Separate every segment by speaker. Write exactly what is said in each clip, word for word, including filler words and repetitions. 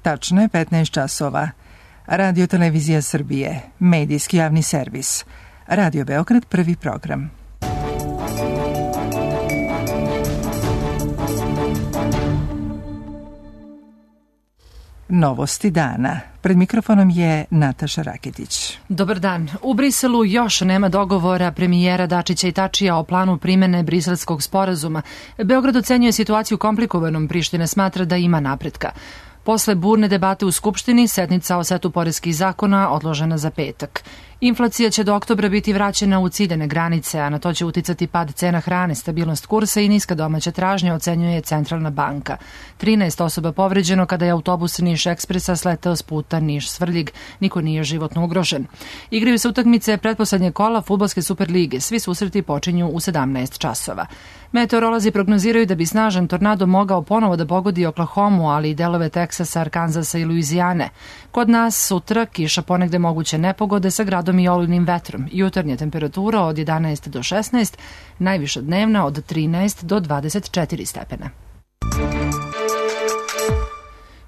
Speaker 1: Tačno je petnaest časova. Radio Televizija Srbije, medijski javni servis. Radio Beograd, prvi program. Novosti dana. Pred mikrofonom je Nataša Raketić.
Speaker 2: Dobar dan. U Briselu još nema dogovora premijera Dačića i Tačija o planu primene Briselskog sporazuma. Beograd ocenjuje situaciju komplikovanom, Priština smatra da ima napretka. Posle burne debate u Skupštini, sednica o setu poreskih zakona odložena za petak. Inflacija će do oktobra biti vraćena u ciljane granice, a na to će uticati pad cena hrane, stabilnost kursa i niska domaća tražnja, ocenjuje Centralna banka. trinaest osoba povređeno kada je autobus Niš Ekspresa sleteo s puta Niš-Svrljig. Niko nije životno ugrožen. Igraju se utakmice pretposlednje kola fudbalske Superlige. Svi susreti počinju u sedamnaest časova. Meteorolozi prognoziraju da bi snažan tornado mogao ponovo da pogodi Oklahomu, ali i delove Teksasa, Arkanzasa i Luizijane. Kod nas sutra kiša, ponegde moguće nepogode sa gradom i olujnim vetrom. Jutarnja temperatura od jedanaest do šesnaest, najviša dnevna od trinaest do dvadeset četiri stepena.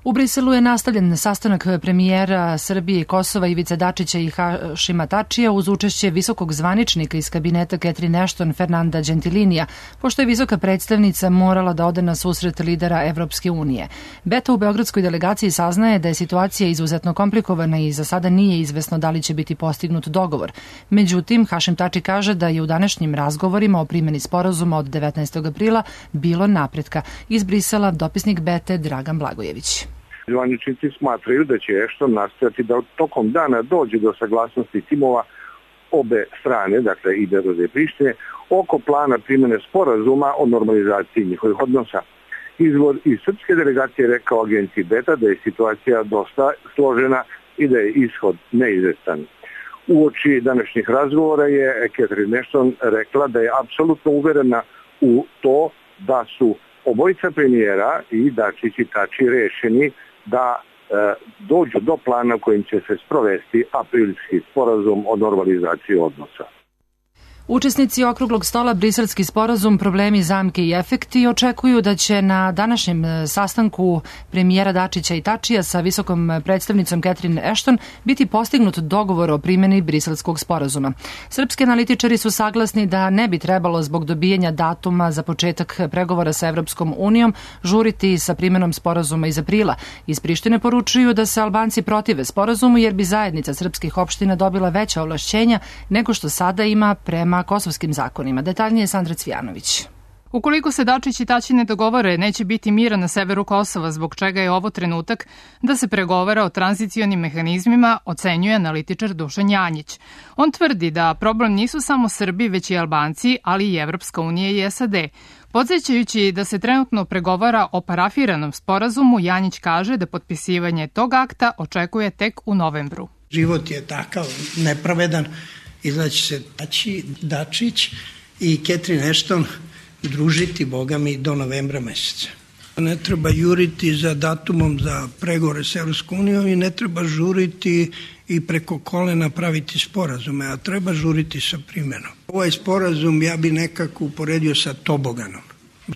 Speaker 2: U Briselu je nastavljen sastanak premijera Srbije i Kosova Ivice Dačića i Hašima Tačija uz učešće visokog zvaničnika iz kabineta Catherine Ashton Fernanda Gentilinija, pošto je visoka predstavnica morala da ode na susret lidera Evropske unije. Beta u beogradskoj delegaciji saznaje da je situacija izuzetno komplikovana i za sada nije izvesno da li će biti postignut dogovor. Međutim, Hašim Tači kaže da je u današnjim razgovorima o primjeni sporazuma od devetnaestog aprila bilo napretka. Iz Brisela dopisnik Bete Dragan Blagojević.
Speaker 3: Zvaničnici smatraju da će Ashton nastojati da tokom dana dođe do saglasnosti timova obe strane, dakle i Beograda i Prištine, oko plana primjene sporazuma o normalizaciji njihovih odnosa. Izvor iz srpske delegacije je rekao agenciji Beta da je situacija dosta složena i da je ishod neizvestan. Uoči današnjih razgovora je Catherine Ashton rekla da je apsolutno uverena u to da su obojica premijera i Dačić i Tači rešeni da e, dođu do plana kojim će se sprovesti aprilski sporazum o normalizaciji odnosa.
Speaker 2: Učesnici okruglog stola Briselski sporazum, problemi, zamke i efekti očekuju da će na današnjem sastanku premijera Dačića i Tačija sa visokom predstavnicom Catherine Ashton biti postignut dogovor o primjeni Briselskog sporazuma. Srpski analitičari su saglasni da ne bi trebalo zbog dobijanja datuma za početak pregovora sa Evropskom unijom žuriti sa primjenom sporazuma iz aprila. Iz Prištine poručuju da se Albanci protive sporazumu jer bi zajednica srpskih opština dobila veća ovlašćenja nego što sada ima prema kosovskim zakonima. Detaljnije Sandra Cvijanović.
Speaker 4: Ukoliko se Dačić i Tači ne dogovore, neće biti mira na severu Kosova, zbog čega je ovo trenutak da se pregovara o tranzicionim mehanizmima, ocenjuje analitičar Dušan Janjić. On tvrdi da problem nisu samo Srbi, već i Albanci, ali i Evropska unija i S A D. Podsjećajući da se trenutno pregovara o parafiranom sporazumu, Janjić kaže da potpisivanje tog akta očekuje tek u novembru.
Speaker 5: Život je takav nepravedan. Izlaći se Tači, Dačić i Catherine Ashton družiti, boga mi, do novembra meseca. Ne treba juriti za datumom za pregovore s Evropskom unijom i ne treba žuriti i preko kolena praviti sporazume, a treba žuriti sa primjenom. Ovaj sporazum ja bi nekako uporedio sa toboganom.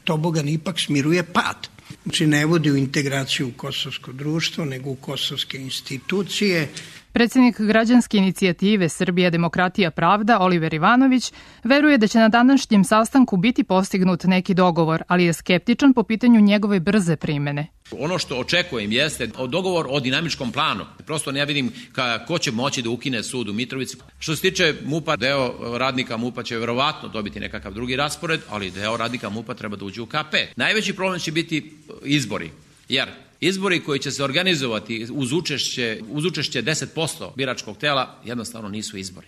Speaker 5: Tobogan ipak smiruje pad. Znači ne vodi u integraciju u kosovsko društvo, nego u kosovske institucije.
Speaker 4: Predsjednik građanske inicijative Srbija, demokratija, pravda, Oliver Ivanović, veruje da će na današnjem sastanku biti postignut neki dogovor, ali je skeptičan po pitanju njegove brze primene.
Speaker 6: Ono što očekujem jeste dogovor o dinamičkom planu. Prosto ne vidim ka, ko će moći da ukine sud u Mitrovici. Što se tiče MUP-a, deo radnika MUP-a će verovatno dobiti nekakav drugi raspored, ali deo radnika MUP-a treba da uđe u K P. Najveći problem će biti izbori, jer izbori koji će se organizovati uz učešće, uz učešće deset posto biračkog tela jednostavno nisu izbori.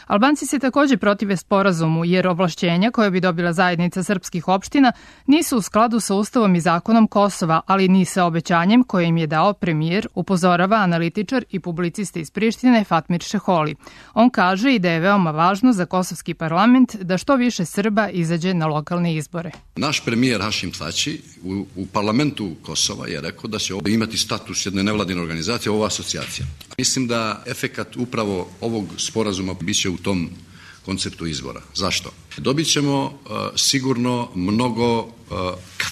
Speaker 4: Albanci se takođe protive sporazumu jer ovlašćenja koje bi dobila zajednica srpskih opština nisu u skladu sa Ustavom i zakonom Kosova, ali ni sa obećanjem koje im je dao premijer, upozorava analitičar i publicista iz Prištine Fatmir Šeholi. On kaže i da je veoma važno za kosovski parlament da što više Srba izađe na lokalne izbore.
Speaker 7: Naš premijer Hašim Tači u, u parlamentu Kosova je rekao da će ovo imati status jedne nevladine organizacije, ova asocijacija. Mislim da efekat upravo ovog sporazuma biće u tom konceptu izbora. Zašto? Dobit ćemo uh, sigurno mnogo uh,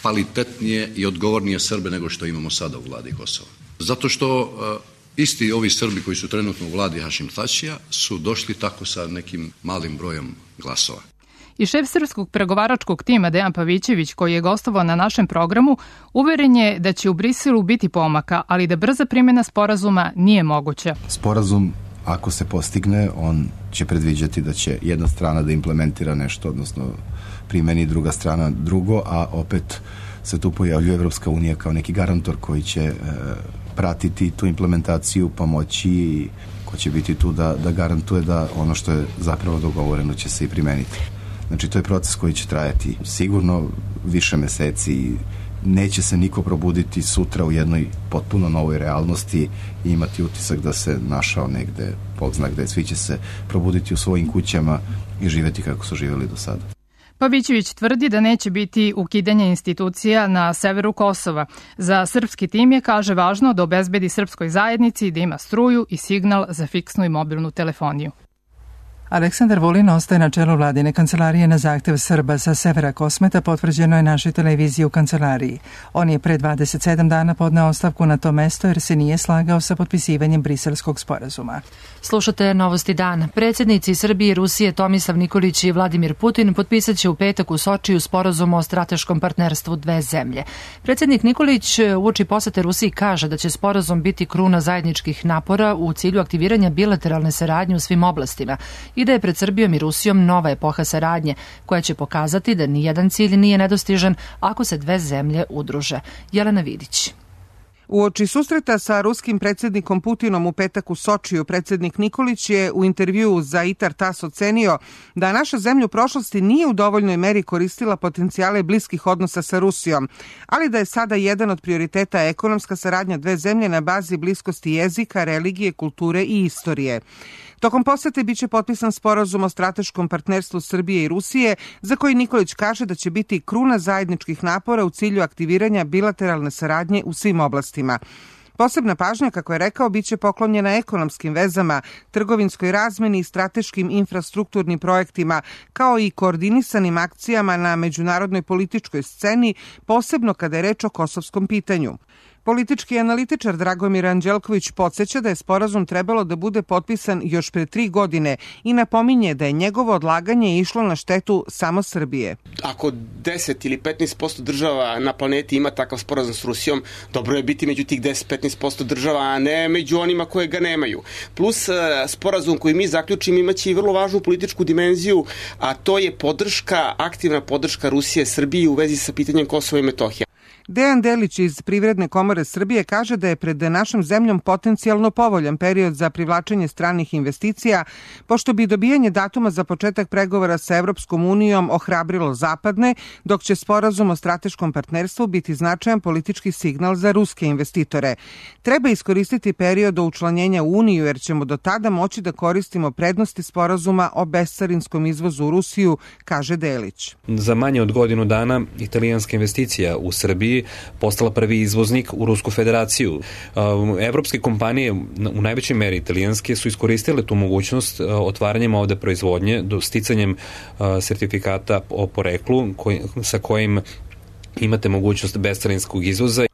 Speaker 7: kvalitetnije i odgovornije Srbe nego što imamo sada u vladi Kosova. Zato što uh, isti ovi Srbi koji su trenutno u vladi Hašim Tačija su došli tako sa nekim malim brojem glasova.
Speaker 4: I šef srpskog pregovaračkog tima Dejan Pavićević, koji je gostovao na našem programu, uveren je da će u Briselu biti pomaka, ali da brza primjena sporazuma nije moguća.
Speaker 8: Sporazum, ako se postigne, on će predviđati da će jedna strana da implementira nešto, odnosno primeni druga strana drugo, a opet se tu pojavljuje Evropska unija kao neki garantor koji će e, pratiti tu implementaciju, pomoći i ko će biti tu da, da garantuje da ono što je zapravo dogovoreno će se i primeniti. Znači, to je proces koji će trajati sigurno više meseci i neće se niko probuditi sutra u jednoj potpuno novoj realnosti i imati utisak da se našao negde, Bog zna gde, svi će se probuditi u svojim kućama i živeti kako su živjeli do sada.
Speaker 4: Pavićević tvrdi da neće biti ukidanja institucija na severu Kosova. Za srpski tim je, kaže, važno da obezbedi srpskoj zajednici da ima struju i signal za fiksnu i mobilnu telefoniju.
Speaker 1: Aleksandar Vulin ostaje na čelu vladine kancelarije na zahtev Srba sa severa Kosmeta, potvrđeno je našoj televiziji u kancelariji. On je pre dvadeset sedam dana podneo ostavku na to mesto jer se nije slagao sa potpisivanjem briselskog sporazuma.
Speaker 2: Slušate Novosti dana. Predsjednici Srbije i Rusije Tomislav Nikolić i Vladimir Putin potpisat će u petak u Sočiju sporazum o strateškom partnerstvu dve zemlje. Predsjednik Nikolić uoči posete Rusiji kaže da će sporazum biti kruna zajedničkih napora u cilju aktiviranja bilateralne saradnje u svim oblastima i da je pred Srbijom i Rusijom nova epoha saradnje, koja će pokazati da nijedan cilj nije nedostižan ako se dve zemlje udruže. Jelena Vidić.
Speaker 9: Uoči susreta sa ruskim predsjednikom Putinom u petak u Sočiju, predsjednik Nikolić je u intervjuu za Itar Tas ocenio da naša zemlja u prošlosti nije u dovoljnoj meri koristila potencijale bliskih odnosa sa Rusijom, ali da je sada jedan od prioriteta ekonomska saradnja dve zemlje na bazi bliskosti jezika, religije, kulture i istorije. Tokom posete biće potpisan sporazum o strateškom partnerstvu Srbije i Rusije, za koji Nikolić kaže da će biti kruna zajedničkih napora u cilju aktiviranja bilateralne saradnje u svim oblastima. Posebna pažnja, kako je rekao, biće poklonjena ekonomskim vezama, trgovinskoj razmeni i strateškim infrastrukturnim projektima, kao i koordinisanim akcijama na međunarodnoj političkoj sceni, posebno kada je reč o kosovskom pitanju. Politički analitičar Dragomir Anđelković podsjeća da je sporazum trebalo da bude potpisan još pre tri godine i napominje da je njegovo odlaganje išlo na štetu samo Srbije.
Speaker 10: Ako deset ili petnaest posto država na planeti ima takav sporazum s Rusijom, dobro je biti među tih deset do petnaest posto država, a ne među onima koje ga nemaju. Plus, sporazum koji mi zaključimo imaće i vrlo važnu političku dimenziju, a to je podrška, aktivna podrška Rusije Srbiji u vezi sa pitanjem Kosova i Metohije.
Speaker 9: Dejan Delić iz Privredne komore Srbije kaže da je pred našom zemljom potencijalno povoljan period za privlačenje stranih investicija, pošto bi dobijanje datuma za početak pregovora sa Evropskom unijom ohrabrilo zapadne, dok će sporazum o strateškom partnerstvu biti značajan politički signal za ruske investitore. Treba iskoristiti period do učlanjenja u Uniju, jer ćemo do tada moći da koristimo prednosti sporazuma o bescarinskom izvozu u Rusiju, kaže Delić.
Speaker 11: Za manje od godinu dana italijanska investicija u Srbiji postala prvi izvoznik u Rusku federaciju. Evropske kompanije, u najvećoj meri italijanske, su iskoristile tu mogućnost otvaranjem ovde proizvodnje, do sticanjem sertifikata o poreklu koj, sa kojim imate mogućnost bescarinskog izvoza.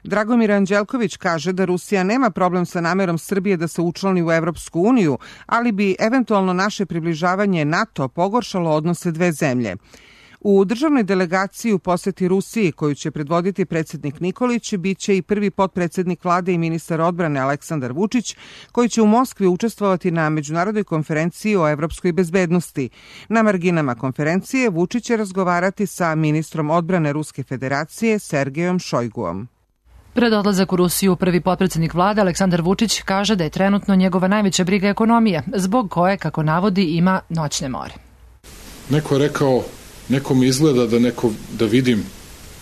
Speaker 9: Dragomir Anđelković kaže da Rusija nema problem sa namerom Srbije da se učlani u Evropsku uniju, ali bi eventualno naše približavanje NATO pogoršalo odnose dve zemlje. U državnoj delegaciji u poseti Rusiji, koju će predvoditi predsjednik Nikolić, biće i prvi potpredsjednik vlade i ministar odbrane Aleksandar Vučić, koji će u Moskvi učestvovati na međunarodnoj konferenciji o evropskoj bezbednosti. Na marginama konferencije Vučić će razgovarati sa ministrom odbrane Ruske federacije Sergejom Šojguom.
Speaker 2: Pred odlazak u Rusiju prvi potpredsjednik vlade Aleksandar Vučić kaže da je trenutno njegova najveća briga ekonomija, zbog koje, kako navodi, ima noćne more.
Speaker 12: Neko je rekao, neko mi izgleda da, neko, da vidim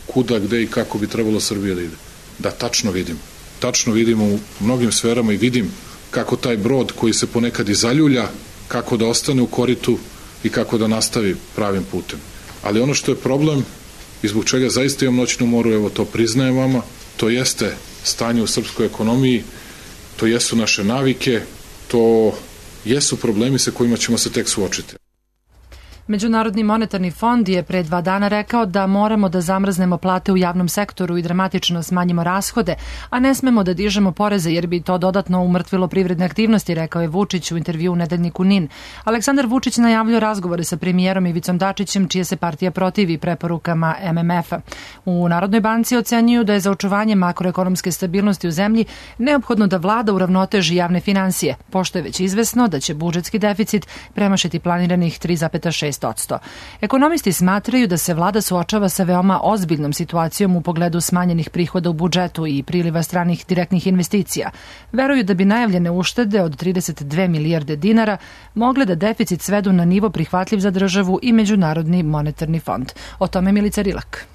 Speaker 12: kuda, gde i kako bi trebalo Srbija da ide. Da, tačno vidim. Tačno vidim u mnogim sferama i vidim kako taj brod koji se ponekad i zaljulja, kako da ostane u koritu i kako da nastavi pravim putem. Ali ono što je problem i zbog čega zaista imam noćnu moru, evo to priznajem vama, to jeste stanje u srpskoj ekonomiji, to jesu naše navike, to jesu problemi sa kojima ćemo se tek suočiti.
Speaker 2: Međunarodni monetarni fond je pre dva dana rekao da moramo da zamrznemo plate u javnom sektoru i dramatično smanjimo rashode, a ne smemo da dižemo poreze jer bi to dodatno umrtvilo privredne aktivnosti, rekao je Vučić u intervju u nedeljniku N I N. Aleksandar Vučić najavljuje razgovore sa premijerom Ivicom Dačićem, čije se partija protivi preporukama M M F-a. U Narodnoj banci ocenjuju da je za očuvanje makroekonomske stabilnosti u zemlji neophodno da vlada uravnoteži javne finansije, pošto je već izvesno da će budžetski deficit premašiti planiranih tri zarez šest posto. Ekonomisti smatraju da se vlada suočava sa veoma ozbiljnom situacijom u pogledu smanjenih prihoda u budžetu i priliva stranih direktnih investicija. Veruju da bi najavljene uštede od trideset dve milijarde dinara mogle da deficit svedu na nivo prihvatljiv za državu i Međunarodni monetarni fond. O tome Milica Rilak.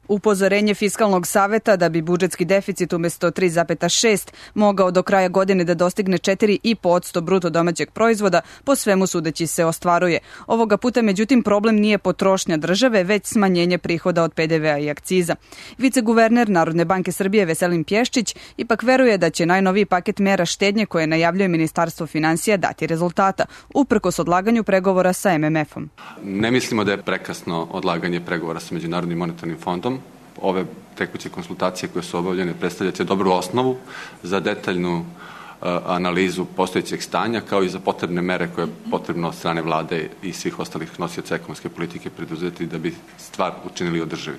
Speaker 13: Upozorenje Fiskalnog saveta da bi budžetski deficit umesto tri zarez šest mogao do kraja godine da dostigne četiri zarez pet posto bruto domaćeg proizvoda, po svemu sudeći se ostvaruje. Ovoga puta, međutim, problem nije potrošnja države, već smanjenje prihoda od P D V-a i akciza. Viceguverner Narodne banke Srbije Veselin Pješčić ipak veruje da će najnoviji paket mera štednje koje najavljuje Ministarstvo finansija dati rezultata, uprkos odlaganju pregovora sa M M F-om.
Speaker 14: Ne mislimo da je prekasno odlaganje pregovora sa Međunarodnim monetarnim fondom. Ove tekuće konsultacije koje su obavljene predstavljaju dobru osnovu za detaljnu uh, analizu postojećeg stanja, kao i za potrebne mere koje je potrebno od strane vlade i svih ostalih nosioca ekonomske politike preduzeti da bi stvar učinili održivi.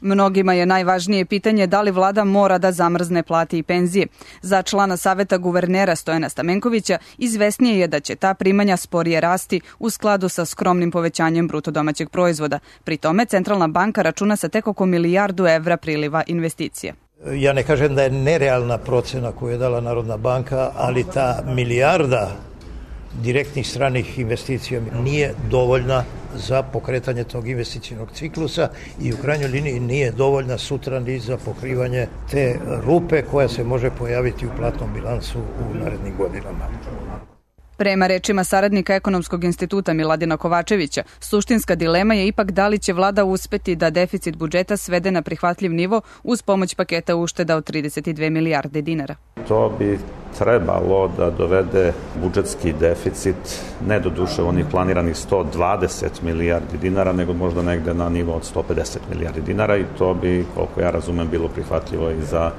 Speaker 13: Mnogima je najvažnije pitanje da li vlada mora da zamrzne plate i penzije. Za člana saveta guvernera Stojana Stamenkovića izvesnije je da će ta primanja sporije rasti u skladu sa skromnim povećanjem bruto domaćeg proizvoda. Pri tome Centralna banka računa sa tek oko milijardu evra priliva investicija.
Speaker 15: Ja ne kažem da je nerealna procena koju je dala Narodna banka, ali ta milijarda direktnih stranih investicija nije dovoljna za pokretanje tog investicijnog ciklusa i u krajnjoj liniji nije dovoljna sutra ni za pokrivanje te rupe koja se može pojaviti u platnom bilansu u narednim godinama.
Speaker 13: Prema rečima saradnika Ekonomskog instituta Miladina Kovačevića, suštinska dilema je ipak da li će vlada uspeti da deficit budžeta svede na prihvatljiv nivo uz pomoć paketa ušteda od trideset dve milijarde dinara.
Speaker 16: To bi trebalo da dovede budžetski deficit ne do duše onih planiranih sto dvadeset milijardi dinara, nego možda negde na nivo od sto pedeset milijardi dinara i to bi, koliko ja razumem, bilo prihvatljivo i za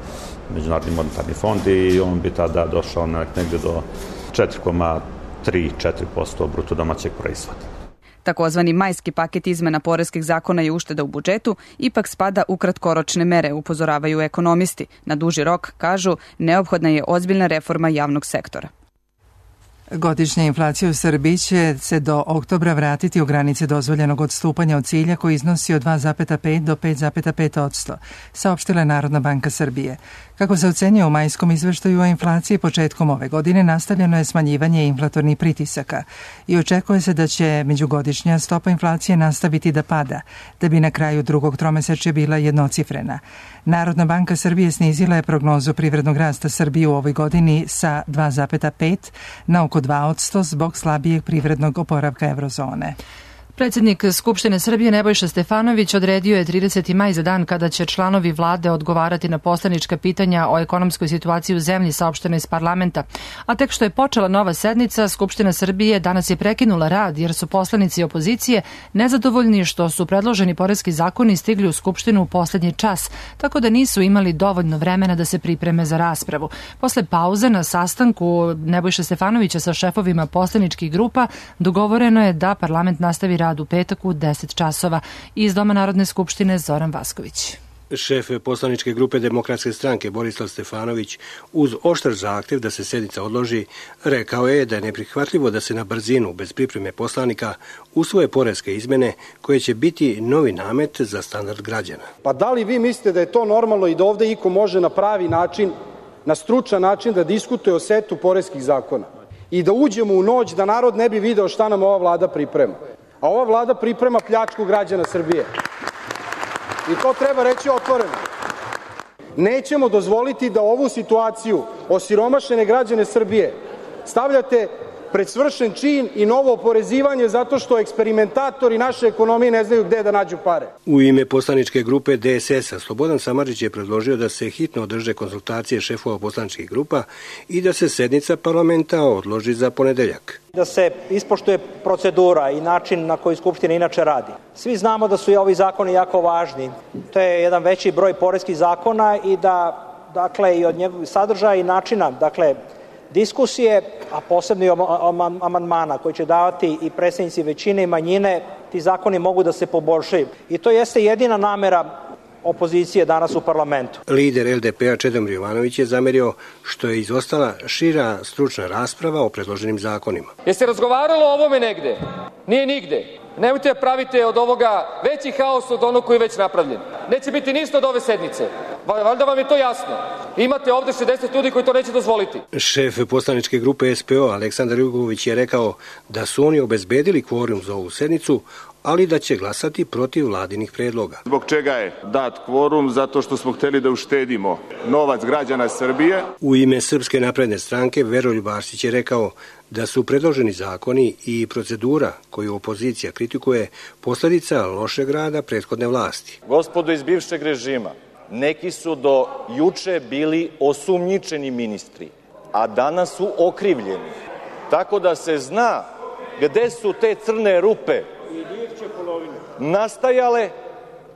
Speaker 16: Međunarodni monetarni fond i on bi tada došao negde do četiri zarez tri do četiri posto bruto domaćeg proizvoda.
Speaker 13: Takozvani majski paket izmena poreskih zakona i ušteda u budžetu ipak spada u kratkoročne mere, upozoravaju ekonomisti. Na duži rok, kažu, neophodna je ozbiljna reforma javnog sektora.
Speaker 1: Godišnja inflacija u Srbiji će se do oktobra vratiti u granice dozvoljenog odstupanja od cilja koji iznosi od dva zarez pet do pet zarez pet posto, saopštila je Narodna banka Srbije. Kako se ocenjuje u majskom izveštaju o inflaciji, početkom ove godine nastavljeno je smanjivanje inflatornih pritisaka i očekuje se da će međugodišnja stopa inflacije nastaviti da pada, da bi na kraju drugog tromesečja bila jednocifrena. Narodna banka Srbije snizila je prognozu privrednog rasta Srbije u ovoj godini sa dva zarez pet na oko dva posto zbog slabijeg privrednog oporavka eurozone.
Speaker 2: Predsednik Skupštine Srbije Nebojša Stefanović odredio je trideseti maj za dan kada će članovi vlade odgovarati na poslanička pitanja o ekonomskoj situaciji u zemlji, saopšteno iz parlamenta. A tek što je počela nova sednica, Skupština Srbije danas je prekinula rad jer su poslanici opozicije nezadovoljni što su predloženi poreski zakoni stigli u Skupštinu u poslednji čas, tako da nisu imali dovoljno vremena da se pripreme za raspravu. Posle pauze na sastanku Nebojša Stefanovića sa šefovima poslaničkih grupa dogovoreno je da parlament nastavi rad u petak u deset časova. Iz Doma Narodne skupštine Zoran Vasković.
Speaker 17: Šef poslaničke grupe Demokratske stranke Borislav Stefanović uz oštar zahtev da se sednica odloži rekao je da je neprihvatljivo da se na brzinu bez pripreme poslanika usvoje poreske izmene koje će biti novi namet za standard građana.
Speaker 18: Pa da li vi mislite da je to normalno i da ovde iko može na pravi način, na stručan način da diskutuje o setu poreskih zakona i da uđemo u noć da narod ne bi video šta nam ova vlada priprema? A ova vlada priprema pljačku građana Srbije. I to treba reći otvoreno. Nećemo dozvoliti da ovu situaciju osiromašene građane Srbije stavljate pred svršen čin i novo oporezivanje zato što eksperimentatori naše ekonomije ne znaju gde da nađu pare.
Speaker 17: U ime poslaničke grupe D S S-a Slobodan Samardžić je predložio da se hitno održe konsultacije šefova poslaničkih grupa i da se sednica parlamenta odloži za ponedeljak.
Speaker 19: Da se ispoštuje procedura i način na koji Skupština inače radi. Svi znamo da su i ovi zakoni jako važni. To je jedan veći broj poreskih zakona i da, dakle, i od njegovih sadržaja i načina, dakle, diskusije, a posebno i amandmana koji će davati i predstavnici većine i manjine, ti zakoni mogu da se poboljšaju. I to jeste jedina namera opozicije danas u parlamentu.
Speaker 17: Lider L D P-a Čedomir Jovanović je zamerio što je izostala šira stručna rasprava o predloženim zakonima.
Speaker 20: Jeste razgovaralo o ovome negde? Nije nigde. Nemojte da pravite od ovoga veći haos od onog koji je već napravljen. Neće biti ništa od ove sednice. Valjda vam je to jasno. Imate ovde šezdeset ljudi koji to neće dozvoliti.
Speaker 17: Šef poslaničke grupe S P O Aleksandar Jugović je rekao da su oni obezbedili kvorum za ovu sednicu, ali da će glasati protiv vladinih predloga.
Speaker 21: Zbog čega je dat kvorum? Zato što smo hteli da uštedimo novac građana Srbije.
Speaker 17: U ime Srpske napredne stranke Veroljub Arsić je rekao da su predloženi zakoni i procedura koju opozicija kritikuje posledica lošeg rada prethodne vlasti.
Speaker 22: Gospodo iz bivšeg režima, neki su do juče bili osumnjičeni ministri, a danas su okrivljeni. Tako da se zna gde su te crne rupe nastajale,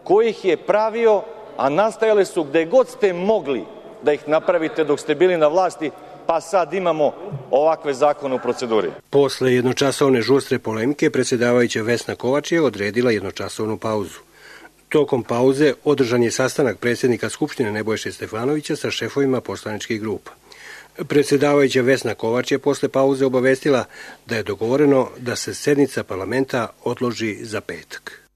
Speaker 22: ko ih je pravio, a nastajale su gde god ste mogli da ih napravite dok ste bili na vlasti, pa sad imamo ovakve zakone u proceduri.
Speaker 17: Posle jednočasovne žustre polemike, predsjedavajuća Vesna Kovač je odredila jednočasovnu pauzu. Tokom pauze održan je sastanak predsjednika Skupštine Nebojše Stefanovića sa šefovima poslaničkih grupa. Predsjedavajuća Vesna Kovač je posle pauze obavestila da je dogovoreno da se sednica parlamenta odloži za petak.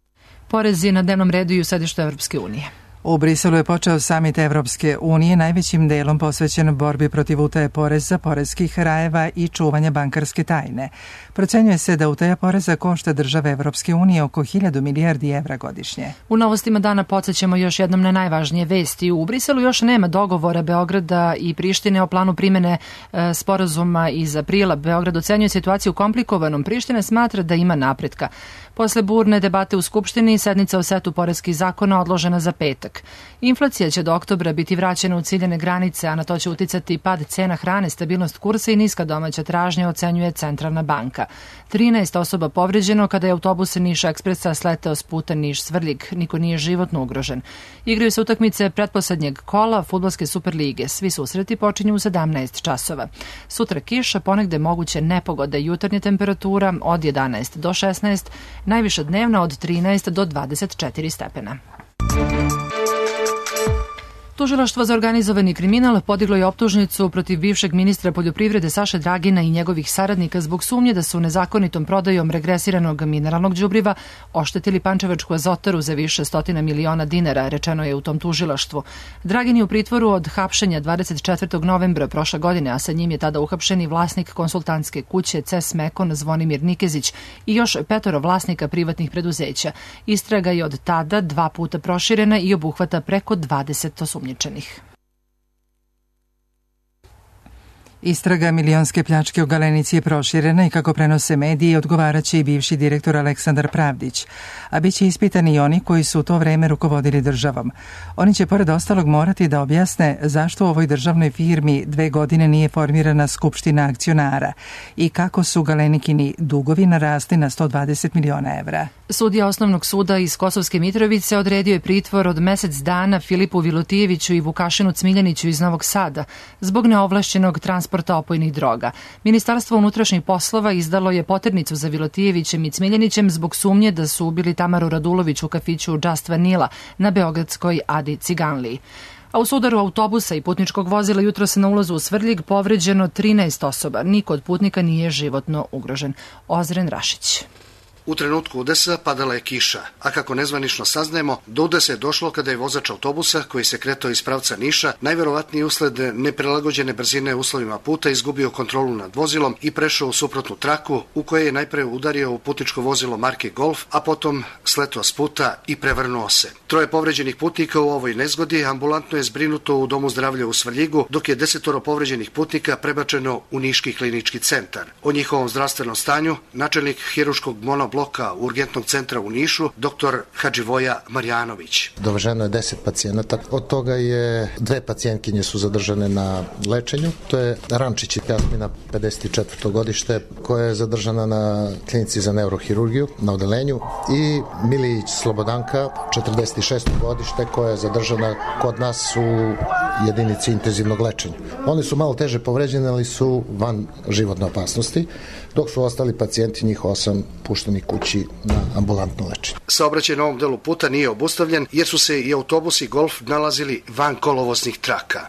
Speaker 2: Porezi na dnevnom redu i u sedištu Evropske unije.
Speaker 1: U Briselu je počeo samit Evropske unije, najvećim delom posvećen borbi protiv utaje poreza, poreskih rajeva i čuvanja bankarske tajne. Procenjuje se da utaja poreza košta države Evropske unije oko hiljadu milijardi evra godišnje.
Speaker 2: U novostima dana podsjećamo još jednom na najvažnije vesti. U Briselu još nema dogovora Beograda i Prištine o planu primene e, sporazuma iz aprila. Beograd ocenjuje situaciju komplikovanom. Priština smatra da ima napretka. Posle burne debate u Skupštini, sednica o setu poreskih zakona odložena za petak. Inflacija će do oktobra biti vraćena u ciljane granice, a na to će uticati pad cena hrane, stabilnost kursa i niska domaća tražnja, ocenjuje Centralna banka. trinaest osoba povređeno kada je autobus Niš Ekspresa sleteo s puta Niš-Svrljig. Niko nije životno ugrožen. Igraju se utakmice pretposlednjeg kola fudbalske Superlige. Svi susreti počinju u sedamnaest časova. Sutra kiša, ponegde moguće nepogode, jutarnja temperatura od jedanaest do šesnaest, najviša dnevna od trinaest do dvadeset četiri stepena. Tužilaštvo za organizovani kriminal podiglo je optužnicu protiv bivšeg ministra poljoprivrede Saše Dragina i njegovih saradnika zbog sumnje da su nezakonitom prodajom regresiranog mineralnog đubriva oštetili Pančevačku azotaru za više stotina miliona dinara, rečeno je u tom tužilaštvu. Dragin je u pritvoru od hapšenja dvadeset četvrtog novembra prošle godine, a sa njim je tada uhapšen i vlasnik konsultantske kuće C E S Mekon Zvonimir Nikezić i još petoro vlasnika privatnih preduzeća. Istraga je od tada dva puta proširena i obuhvata preko dvadeset osumnjičenih.
Speaker 1: Istraga milionske pljačke u Galenici je proširena i kako prenose mediji odgovaraće i bivši direktor Aleksandar Pravdić, a bit će ispitani i oni koji su u to vreme rukovodili državom. Oni će pored ostalog morati da objasne zašto u ovoj državnoj firmi dve godine nije formirana skupština akcionara i kako su Galenikini dugovi narasli na sto dvadeset miliona evra.
Speaker 2: Sudija Osnovnog suda iz Kosovske Mitrovice odredio je pritvor od mesec dana Filipu Vilutijeviću i Vukašinu Cmiljaniću iz Novog Sada zbog neovlašćenog transporta opojnih droga. Ministarstvo unutrašnjih poslova izdalo je poternicu za Vilutijevićem i Cmiljanićem zbog sumnje da su ubili Tamaru Radulović u kafiću Just Vanilla na beogradskoj Adi Ciganliji. A u sudaru autobusa i putničkog vozila jutro se na ulazu u Svrljig povređeno trinaest osoba. Niko od putnika nije životno ugrožen. Ozren Rašić.
Speaker 3: U trenutku udesa padala je kiša, a kako nezvanično saznajemo, do udesa je došlo kada je vozač autobusa koji se kretao iz pravca Niša, najverovatnije usled neprilagođene brzine uslovima puta, izgubio kontrolu nad vozilom i prešao u suprotnu traku u kojoj je najpre udario u putničko vozilo marke Golf, a potom sletao s puta i prevrnuo se. Troje povređenih putnika u ovoj nezgodi ambulantno je zbrinuto u Domu zdravlja u Svrljigu, dok je desetoro povređenih putnika prebačeno u Niški klinički centar. O njihovom zdravstvenom stanju načelnik hirurškog monobloka Urgentnog centra u Nišu, doktor Hadživoja Marjanović.
Speaker 5: Doveženo je deset pacijenata, od toga je dve pacijentkinje su zadržane na lečenju. To je Rančić Jasmina, pedeset četvrto godište, koja je zadržana na klinici za neurohirurgiju na odelenju, i Milić Slobodanka, četrdeset šesto godište, koja je zadržana kod nas u jedinici intenzivnog lečenja. Oni su malo teže povređeni, ali su van životne opasnosti, dok su ostali pacijenti, njih osam, pušteni kući na ambulantno lečenje.
Speaker 3: Saobraćaj na ovom delu puta nije obustavljen jer su se i autobusi Golf nalazili van kolovoznih traka.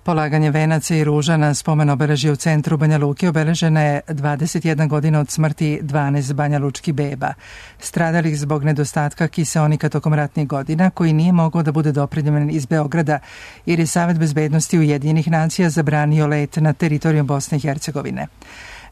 Speaker 1: Polaganje venaca i ruža na spomen obeležje u centru Banja Luke obeležena je dvadeset jedna godina od smrti dvanaest banjalučkih beba, stradalih zbog nedostatka kiseonika tokom ratnih godina, koji nije mogao da bude dopremljen iz Beograda, jer je Savet bezbednosti Ujedinjenih nacija zabranio let na teritoriju Bosne i Hercegovine.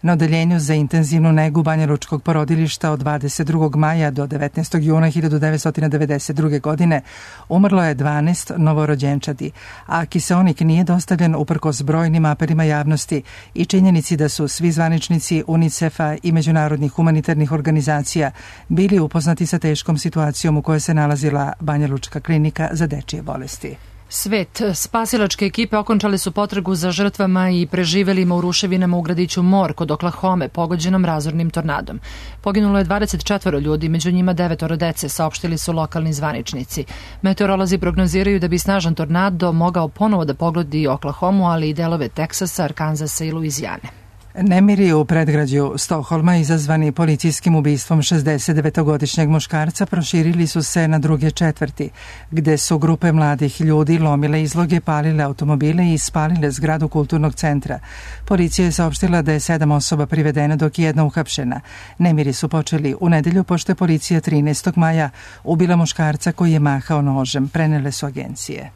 Speaker 1: Na odeljenju za intenzivnu negu banjalučkog porodilišta od dvadeset drugog maja do devetnaestog juna hiljadu devetsto devedeset druge. godine umrlo je dvanaest novorođenčadi, a kiseonik nije dostavljen uprkos brojnim apelima javnosti i činjenici da su svi zvaničnici UNICEF-a i međunarodnih humanitarnih organizacija bili upoznati sa teškom situacijom u kojoj se nalazila banjalučka klinika za dečije bolesti.
Speaker 2: Svet. Spasilačke ekipe okončale su potragu za žrtvama i preživelima u ruševinama u gradiću Mor kod Oklahome, pogođenom razornim tornadom. Poginulo je dvadeset četvoro ljudi, među njima devetoro dece, saopštili su lokalni zvaničnici. Meteorolozi prognoziraju da bi snažan tornado mogao ponovo da pogodi Oklahomu, ali i delove Teksasa, Arkanzasa i Luizijane.
Speaker 1: Nemiri u predgrađu Stokholma izazvani policijskim ubistvom šezdesetdevetogodišnjeg muškarca proširili su se na druge četvrti, gde su grupe mladih ljudi lomile izloge, palile automobile i spalile zgradu kulturnog centra. Policija je saopštila da je sedam osoba privedeno, dok je jedna uhapšena. Nemiri su počeli u nedelju pošto je policija trinaestog maja ubila muškarca koji je mahao nožem, prenele su agencije.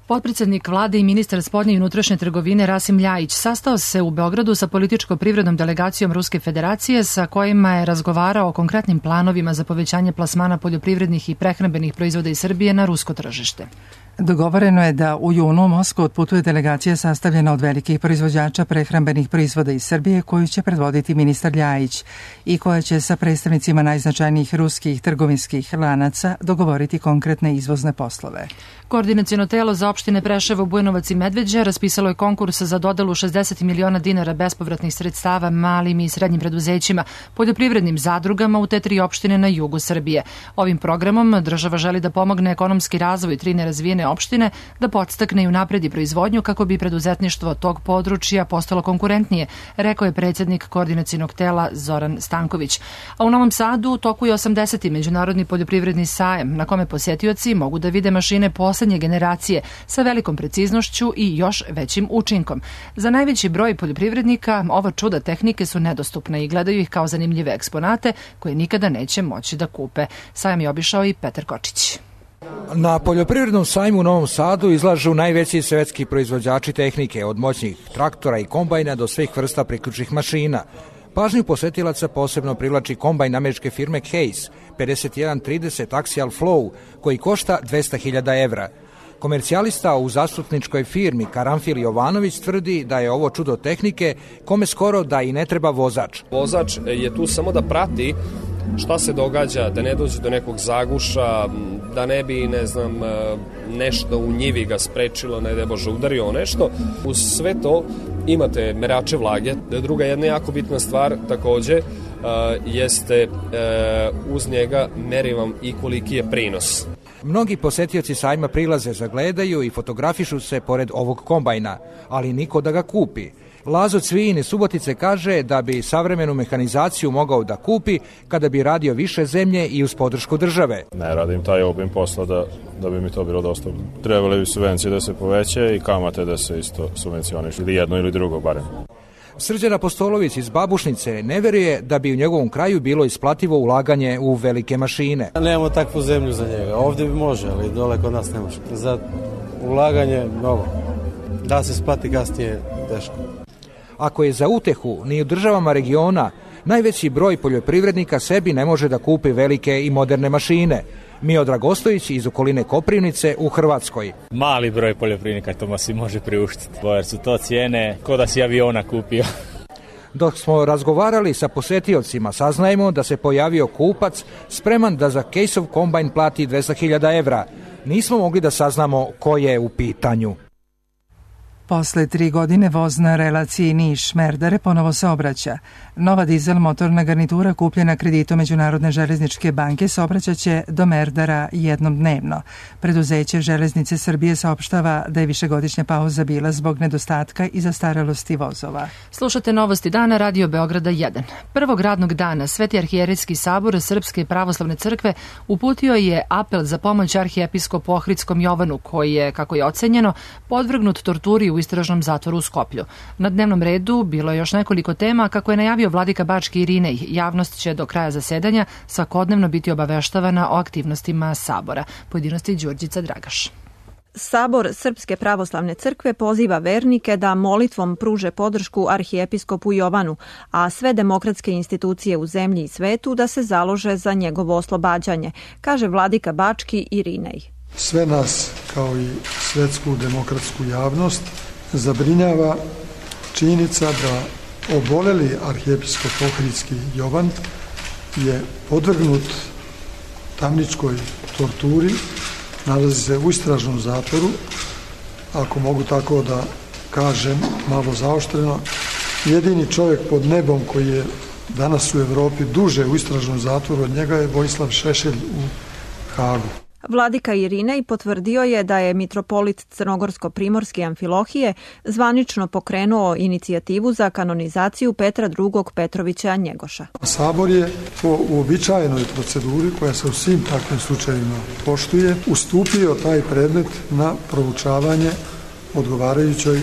Speaker 2: Potpredsednik vlade i ministar spoljne i unutrašnje trgovine Rasim Ljajić sastao se u Beogradu sa političko-privrednom delegacijom Ruske federacije sa kojima je razgovarao o konkretnim planovima za povećanje plasmana poljoprivrednih i prehrambenih proizvoda iz Srbije na rusko tržište.
Speaker 1: Dogovoreno je da u junu u Moskvu otputuje delegacija sastavljena od velikih proizvođača prehrambenih proizvoda iz Srbije, koju će predvoditi ministar Ljajić i koja će sa predstavnicima najznačajnijih ruskih trgovinskih lanaca dogovoriti konkretne izvozne poslove.
Speaker 2: Koordinaciono telo za opštine Preševo, Bujanovac i Medveđa raspisalo je konkurs za dodelu šezdeset miliona dinara bespovratnih sredstava malim i srednjim preduzećima, poljoprivrednim zadrugama u te tri opštine na jugu Srbije. Ovim programom država želi da pomogne ekonomski razvoj tri nerazvijene opštine, da podstakne i unapredi proizvodnju kako bi preduzetništvo tog područja postalo konkurentnije, rekao je predsjednik koordinacionog tela Zoran Stanković. A u Novom Sadu u toku je osamdeseti međunarodni poljoprivredni sajem, na kome posjetioci mogu da vide mašine poslednje generacije sa velikom preciznošću i još većim učinkom. Za najveći broj poljoprivrednika ova čuda tehnike su nedostupne i gledaju ih kao zanimljive eksponate koje nikada neće moći da kupe. Sajam je obišao i Petar Kočić.
Speaker 23: Na poljoprivrednom sajmu u Novom Sadu izlažu najveći svetski proizvođači tehnike, od moćnih traktora i kombajna do svih vrsta priključnih mašina. Pažnju posetilaca posebno privlači kombajn američke firme Case pedeset jedan trideset Axial Flow, koji košta dvesta hiljada evra. Komercijalista u zastupničkoj firmi Karanfil Jovanović tvrdi da je ovo čudo tehnike kome skoro da i ne treba vozač.
Speaker 24: Vozač je tu samo da prati šta se događa, da ne dođe do nekog zaguša, da ne bi, ne znam, nešto u njivi ga sprečilo, ne da Bože udario o nešto. Uz sve to imate merače vlage. Druga jedna jako bitna stvar takođe jeste uz njega meri vam i koliki je prinos.
Speaker 23: Mnogi posetioci sajma prilaze, zagledaju i fotografišu se pored ovog kombajna, ali niko da ga kupi. Lazo Cvijin iz Subotice kaže da bi savremenu mehanizaciju mogao da kupi kada bi radio više zemlje i uz podršku države.
Speaker 25: Ne radim taj obim posla da, da bi mi to bilo dostupno. Trebali bi subvencije da se poveće i kamate da se isto subvencioniš, ili jedno ili drugo barem.
Speaker 23: Srđan Apostolović iz Babušnice ne veruje da bi u njegovom kraju bilo isplativo ulaganje u velike mašine.
Speaker 4: Nemamo takvu zemlju za njega. Ovdje bi može, ali dole kod nas ne može. Za ulaganje mnogo. Da se isplati kasnije teško.
Speaker 23: Ako je za utehu ni u državama regiona, najveći broj poljoprivrednika sebi ne može da kupi velike i moderne mašine. Miodrag Ostojić iz okoline Koprivnice u Hrvatskoj.
Speaker 6: Mali broj poljoprivrednika to si može priuštiti, jer su to cijene ko da si aviona kupio.
Speaker 23: Dok smo razgovarali sa posetiocima, saznajemo da se pojavio kupac spreman da za Caseov kombajn plati dvesta hiljada evra. Nismo mogli da saznamo ko je u pitanju.
Speaker 1: Posle tri godine voz na relaciji Niš-Merdare ponovo se obraća. Nova dizel motorna garnitura kupljena kreditom Međunarodne železničke banke saobraćaće do Merdara jednom dnevno. Preduzeće Železnice Srbije saopštava da je višegodišnja pauza bila zbog nedostatka i zastarelosti vozova.
Speaker 2: Slušate novosti dana Radio Beograda jedan. Prvog radnog dana Sveti arhijerejski sabor Srpske pravoslavne crkve uputio je apel za pomoć arhijepiskopu Ohridskom Jovanu, koji je, kako je ocenjeno, podvrgnut torturi u istražnom zatvoru u Skoplju. Na dnevnom redu bilo je još nekoliko tema. Kako je najavio vladika Bački Irinej, javnost će do kraja zasedanja svakodnevno biti obaveštavana o aktivnostima sabora. Pojedinosti Đurđica Dragaš.
Speaker 7: Sabor Srpske pravoslavne crkve poziva vernike da molitvom pruže podršku arhijepiskopu Jovanu, a sve demokratske institucije u zemlji i svetu da se založe za njegovo oslobađanje, kaže vladika Bački Irinej.
Speaker 8: Sve nas, kao i svetsku demokratsku javnost, zabrinjava činjenica da oboleli arhijepiskop Ohridski Jovan je podvrgnut tamničkoj torturi, nalazi se u istražnom zatvoru, ako mogu tako da kažem, malo zaoštreno. Jedini čovjek pod nebom koji je danas u Evropi duže u istražnom zatvoru od njega je Vojislav Šešelj u Hagu.
Speaker 7: Vladika Irinej potvrdio je da je mitropolit Crnogorsko-primorske Amfilohije zvanično pokrenuo inicijativu za kanonizaciju Petra drugog Petrovića Njegoša.
Speaker 8: Sabor je po uobičajenoj proceduri, koja se u svim takvim slučajevima poštuje, ustupio taj predmet na proučavanje odgovarajućoj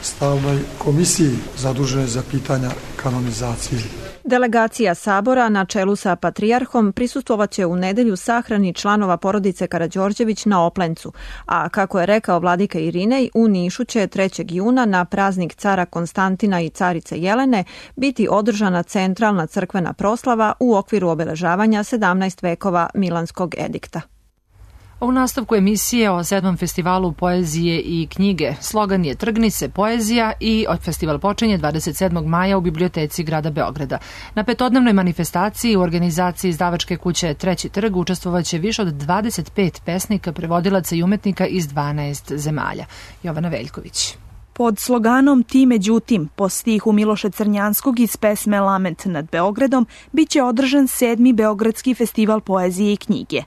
Speaker 8: stalnoj komisiji zadužene za pitanja kanonizacije.
Speaker 7: Delegacija Sabora na čelu sa patrijarhom prisustvovaće u nedelju sahrani članova porodice Karađorđević na Oplencu, a kako je rekao vladika Irinej, u Nišu će trećeg juna na praznik cara Konstantina i carice Jelene biti održana centralna crkvena proslava u okviru obeležavanja sedamnaest vekova Milanskog edikta.
Speaker 2: U nastavku emisije o sedmom festivalu poezije i knjige. Slogan je Trgni se poezija i festival počinje dvadeset sedmog maja u biblioteci grada Beograda. Na petodnevnoj manifestaciji u organizaciji izdavačke kuće Treći trg učestvovaće više od dvadeset pet pesnika, prevodilaca i umetnika iz dvanaest zemalja. Jovana Veljković.
Speaker 10: Pod sloganom Ti međutim, po stihu Miloša Crnjanskog iz pesme Lament nad Beogradom, biće održan sedmi Beogradski festival poezije i knjige.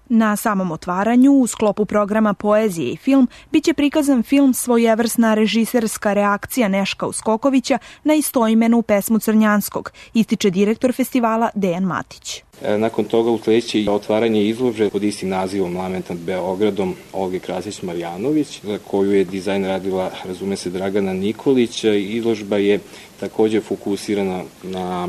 Speaker 10: Na samom otvaranju, u sklopu programa Poezije i film, biće prikazan film svojevrsna režiserska reakcija Neška Uskokovića na istoimenu pesmu Crnjanskog, ističe direktor festivala Dejan Matić.
Speaker 26: Nakon toga usledeće otvaranje izložbe pod istim nazivom Lament nad Beogradom Olge Krasić-Marjanović, za koju je dizajn radila, razume se, Dragana Nikolić. Izložba je također fokusirana na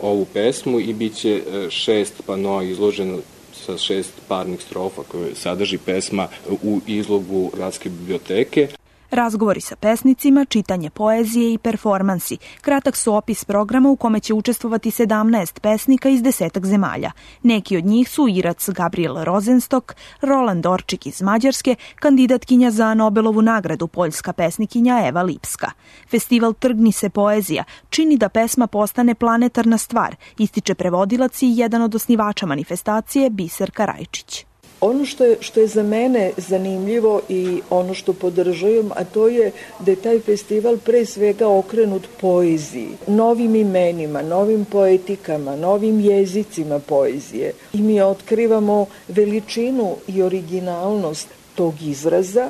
Speaker 26: ovu pesmu i bit će šest panoa izloženo sa šest parnih strofa koje sadrži pesma u izlogu Gradske biblioteke.
Speaker 10: Razgovori sa pesnicima, čitanje poezije i performansi. Kratak su opis programa u kome će učestvovati sedamnaest pesnika iz desetak zemalja. Neki od njih su Irac Gabriel Rozenstok, Roland Orčik iz Mađarske, kandidatkinja za Nobelovu nagradu, poljska pesnikinja Eva Lipska. Festival Trgni se poezija čini da pesma postane planetarna stvar, ističe prevodilac i jedan od osnivača manifestacije Biser Karajčić.
Speaker 27: Ono što je, što je za mene zanimljivo i ono što podržavam, a to je da je taj festival pre svega okrenut poeziji, novim imenima, novim poetikama, novim jezicima poezije. I mi otkrivamo veličinu i originalnost tog izraza.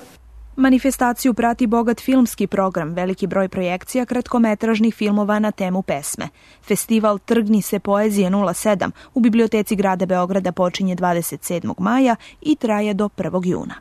Speaker 10: Manifestaciju prati bogat filmski program, veliki broj projekcija kratkometražnih filmova na temu pesme. Festival Trgni se poezije nula sedam u biblioteci grada Beograda počinje dvadeset sedmog maja i traje do prvog juna.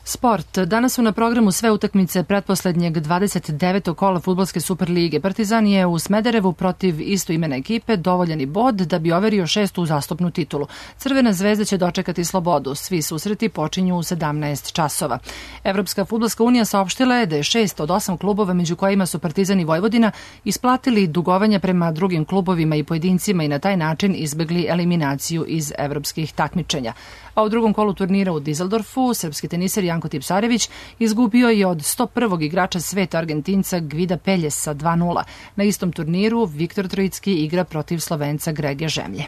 Speaker 2: Sport. Danas su na programu sve utakmice pretposlednjeg dvadeset devetog kola fudbalske Superlige. Partizan je u Smederevu protiv istoimene ekipe dovoljeni bod da bi overio šestu uzastopnu titulu. Crvena zvezda će dočekati Slobodu. Svi susreti počinju u sedamnaest časova. Evropska fudbalska unija saopštila je da je šest od osam klubova, među kojima su Partizan i Vojvodina, isplatili dugovanja prema drugim klubovima i pojedincima i na taj način izbegli eliminaciju iz evropskih takmičenja. A u drugom kolu turnira u Dizeldorfu srpski teniser Janko Tipsarević izgubio je od sto prvog igrača sveta Argentinca Gvida Peljesa dva nula. Na istom turniru Viktor Trojicki igra protiv Slovenca Grege Žemlje.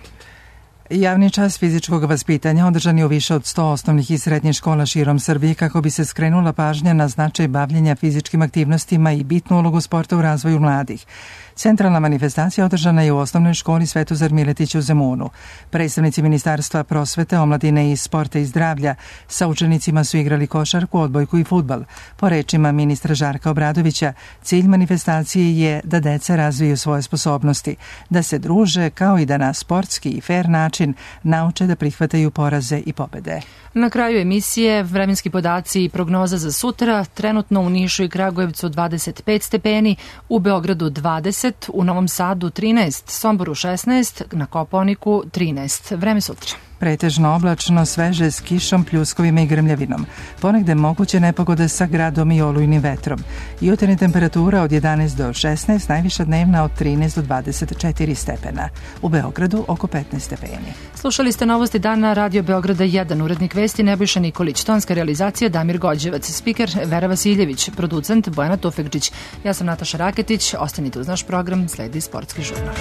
Speaker 1: Javni čas fizičkog vaspitanja održan je u više od sto osnovnih i srednjih škola širom Srbije kako bi se skrenula pažnja na značaj bavljenja fizičkim aktivnostima i bitnu ulogu sporta u razvoju mladih. Centralna manifestacija održana je u osnovnoj školi Svetozar Miletić u Zemunu. Predstavnici Ministarstva prosvete, omladine i sporta i zdravlja sa učenicima su igrali košarku, odbojku i fudbal. Po rečima ministra Žarka Obradovića, cilj manifestacije je da deca razviju svoje sposobnosti, da se druže kao i da na sportski i fair način nauče da prihvataju poraze i pobede.
Speaker 2: Na kraju emisije vremenski podaci i prognoza za sutra. Trenutno u Nišu i Kragujevcu dvadeset pet stepeni, u Beogradu dvadeset, u Novom Sadu trinaest, Somboru šesnaest, na Kopaoniku trinaest. Vreme sutra.
Speaker 1: Pretežno oblačno, sveže s kišom, pljuskovima i grmljavinom. Ponegde moguće nepogode sa gradom i olujnim vetrom. Jutarnja temperatura od jedanaest do šesnaest, najviša dnevna od trinaest do dvadeset četiri stepena. U Beogradu oko petnaest stepeni.
Speaker 2: Slušali ste novosti dana Radio Beograda jedan, urednik vesti Nebojša Nikolić, tonska realizacija Damir Gođevac, spiker Vera Vasiljević, producent Bojana Tufekđić. Ja sam Nataša Raketić, ostanite uz naš program, sledi sportski žurnal.